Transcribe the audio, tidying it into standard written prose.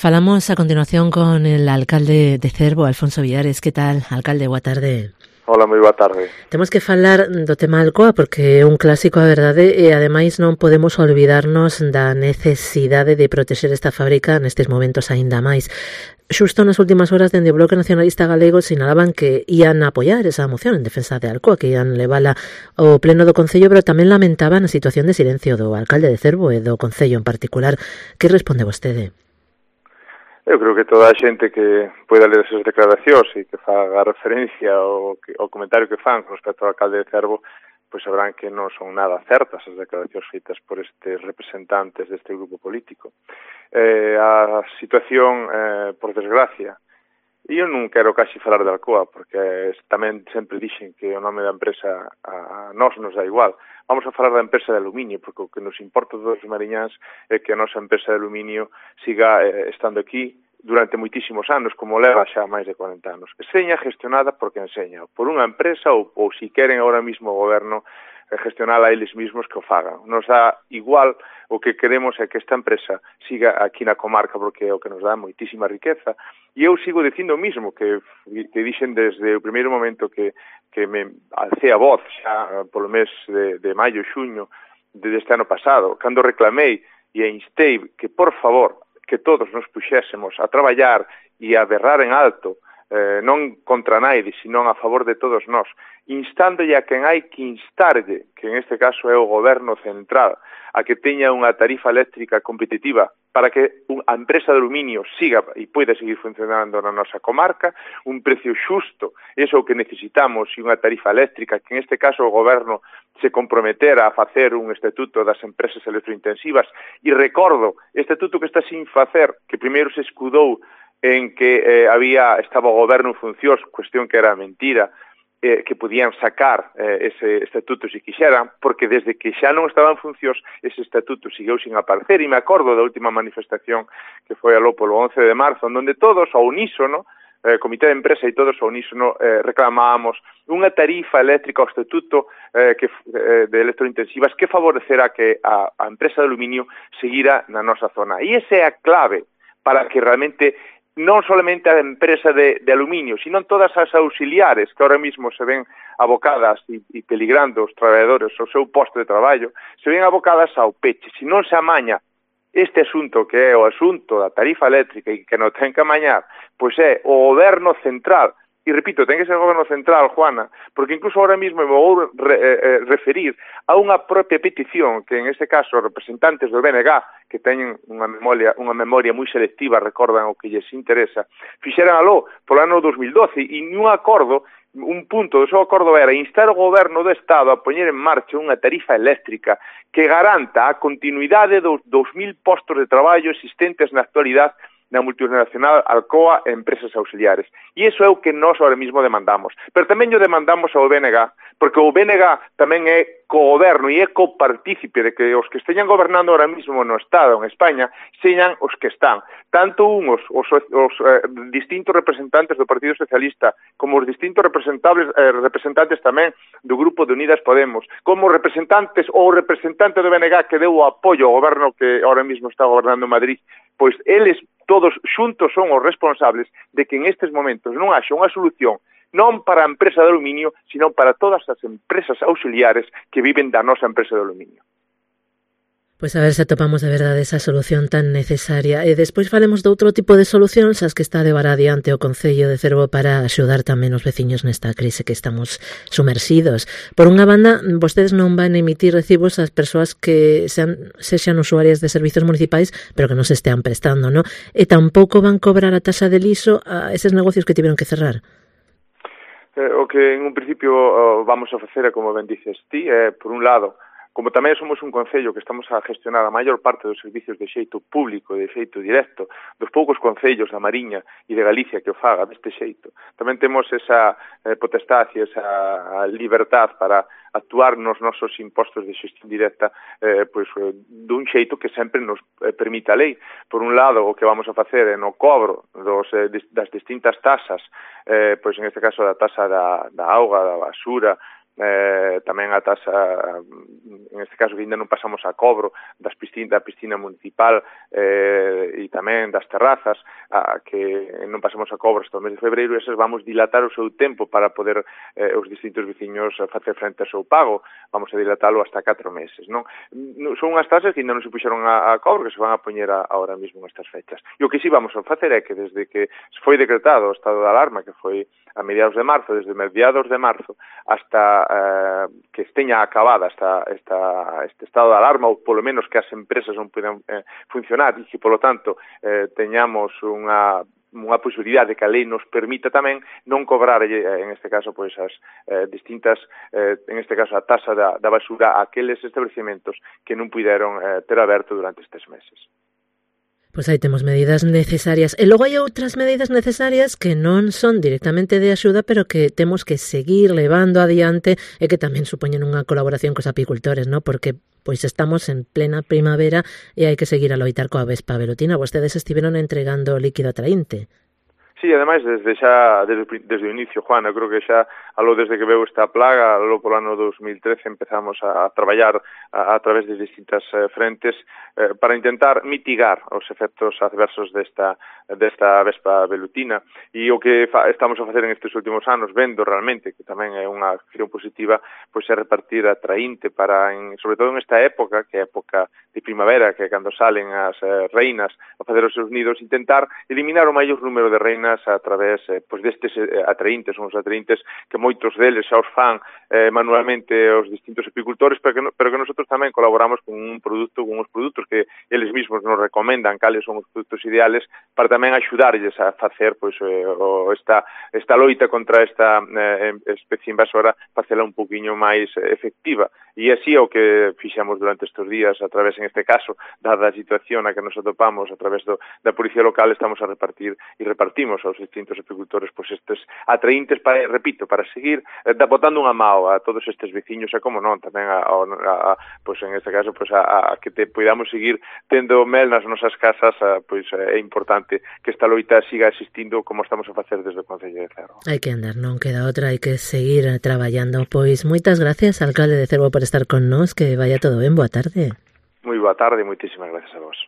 Falamos a continuación con el alcalde de Cervo, Alfonso Villares. Que tal, alcalde? Boa tarde. Hola, moi boa tarde. Temos que falar do tema Alcoa porque é un clásico, a verdade, e ademais non podemos olvidarnos da necesidade de protexer esta fábrica nestes momentos aínda máis. Xusto nas últimas horas dende o Bloque Nacionalista Galego sinalaban que ian apoiar esa moción en defensa de Alcoa, que ian levala ao pleno do Concello, pero tamén lamentaban a situación de silencio do alcalde de Cervo e do Concello en particular. Que responde vostede? Eu creo que toda a xente que poida ler esas declaracións e que faga referencia ao comentario que fan con respecto ao alcalde de Cervo, pois sabrán que non son nada certas as declaracións feitas por estes representantes deste grupo político. A situación, por desgracia, e eu non quero casi falar de Alcoa, porque tamén sempre dixen que o nome da empresa a nós nos dá igual. Vamos a falar da empresa de aluminio, porque o que nos importa todos os mariñáns é que a nosa empresa de aluminio siga estando aquí durante moitísimos anos, como leva xa máis de 40 anos. Seña gestionada por quen seña, por unha empresa ou si queren ahora mismo o goberno gestionala a eles mismos que o fagan. Nos dá igual, o que queremos é que esta empresa siga aquí na comarca porque é o que nos dá moitísima riqueza. E eu sigo dicindo o mismo que dixen desde o primeiro momento que me alcé a voz xa polo mes de maio, xuño deste ano pasado, cando reclamei e instei que, por favor, que todos nos puxésemos a traballar e a berrar en alto, non contra naide, sino a favor de todos nós, instándolle a quen hai que instarlle, que en este caso é o goberno central, a que teña unha tarifa eléctrica competitiva para que a empresa de aluminio siga e poida seguir funcionando na nosa comarca, un precio xusto, iso é o que necesitamos, e unha tarifa eléctrica, que en este caso o goberno se comprometera a facer un estatuto das empresas electrointensivas, e recordo, estatuto que está sin facer, que primeiro se escudou en que estaba o goberno en funcións, cuestión que era mentira, que podían sacar ese estatuto se quixeran, porque desde que xa non estaba en funcións, ese estatuto sigueu sin aparecer, e me acordo da última manifestación que foi aló polo 11 de marzo, onde todos, ao unísono, comité de empresa e todos ao unísono reclamábamos unha tarifa eléctrica ao estatuto de electrointensivas que favorecerá que a empresa de aluminio seguira na nosa zona. E esa é a clave para que realmente non solamente a empresa de aluminio, sino todas as auxiliares que ahora mismo se ven abocadas e peligrando os traballadores ao seu posto de traballo, se ven abocadas ao peche. Se non se amaña este asunto, que é o asunto da tarifa eléctrica e que non ten que amañar, pois é o goberno central. E repito, ten que ser o goberno central, Juana, porque incluso ahora mismo me vou referir a unha propia petición que en este caso os representantes do BNG, que teñen unha memoria moi selectiva, recordan o que lles interesa, fixeran aló polo ano 2012 e nun acordo, un punto do seu acordo era instar o goberno do Estado a poñer en marcha unha tarifa eléctrica que garanta a continuidade dos 2.000 postos de traballo existentes na actualidade na multinacional Alcoa e empresas auxiliares. E iso é o que nós ahora mismo demandamos. Pero tamén o demandamos ao BNG, porque o BNG tamén é co-goberno e é co-partícipe de que os que esteñan gobernando ahora mismo no Estado, en España, señan os que están. Tanto os distintos representantes do Partido Socialista, como os distintos representantes tamén do Grupo de Unidas Podemos, como representantes ou representante do BNG que deu o apoio ao goberno que ahora mismo está gobernando en Madrid, pois eles todos xuntos son os responsables de que en estes momentos non haxa unha solución non para a empresa de aluminio, sino para todas as empresas auxiliares que viven da nosa empresa de aluminio. Pois a ver se atopamos de verdade esa solución tan necesaria. E despois falemos de outro tipo de solucións as que está a levar adiante o Concello de Cervo para axudar tamén os veciños nesta crise que estamos sumersidos. Por unha banda, vostedes non van a emitir recibos ás persoas que sexan usuarias de servizos municipais, pero que non se estean prestando, non? E tampouco van cobrar a taxa de liso a eses negocios que tiveron que cerrar. O que en un principio vamos a facer é, como ben dices ti, por un lado, como tamén somos un concello que estamos a gestionar a maior parte dos servicios de xeito público, de xeito directo, dos poucos concellos da Mariña e de Galicia que o faga deste xeito, tamén temos esa potestad e esa libertad para actuar nos nosos impostos de xestión directa dun xeito que sempre nos permite a lei. Por un lado, o que vamos a facer é no cobro das distintas tasas, pois en este caso da tasa da auga, da basura, tamén a taxa, en este caso que ainda non pasamos a cobro da piscina municipal e tamén das terrazas, que non pasamos a cobro hasta o mes de febreiro, esas vamos dilatar o seu tempo para poder os distintos veciños facer frente ao seu pago, vamos a dilatalo hasta 4 meses, non? Son unhas tasas que ainda non se puxeron a cobro, que se van a poñer ahora mesmo nestas fechas. E o que sí vamos a facer é que desde que foi decretado o estado de alarma, que foi a mediados de marzo, desde mediados de marzo hasta que esteña acabada este estado de alarma, ou polo menos que as empresas non poden funcionar e que, polo tanto, teñamos unha posibilidade que a lei nos permita tamén non cobrar, en este caso, pois as distintas, en este caso, a tasa da basura a aqueles establecementos que non puideron ter aberto durante estes meses. Pois aí temos medidas necesarias. E logo hai outras medidas necesarias que non son directamente de axuda, pero que temos que seguir levando adiante e que tamén supoñen unha colaboración cos apicultores, non? Porque pois estamos en plena primavera e hai que seguir a loitar coa vespa velutina. Vostedes estiveron entregando líquido atraínte. Sí, ademais, desde o inicio, Juan, eu creo que xa, aló desde que veu esta plaga, aló polo ano 2013, empezamos a traballar a través de distintas frentes para intentar mitigar os efectos adversos desta vespa velutina. E o que estamos a facer en estes últimos anos, vendo realmente que tamén é unha acción positiva, pois é repartir atraínte para, sobre todo en esta época, que é época de primavera, que é cando salen as reinas a facer os seus nidos, intentar eliminar o maior número de reinas a través destes atraíntes, son os atraíntes que moitos deles xa os fan manualmente os distintos apicultores, pero que nosotros tamén colaboramos con uns produtos que eles mesmos nos recomendan cales son os produtos ideales para tamén axudarlles a facer esta loita contra esta especie invasora, facela un poquinho máis efectiva. E así é o que fixamos durante estes días, a través, en este caso, dada a situación a que nos atopamos, a través da policía local, estamos a repartir e repartimos aos distintos apicultores estes atraíntes para seguir botando unha mao a todos estes veciños e, como non, tamén en este caso, a que podamos seguir tendo mel nas nosas casas, é importante que esta loita siga existindo como estamos a facer desde o Concello de Cervo. Hai que andar, non queda outra, hai que seguir traballando. Pois moitas gracias, alcalde de Cervo, por estar con nós, que vaya todo ben, boa tarde. Moi boa tarde e moitísimas gracias a vos.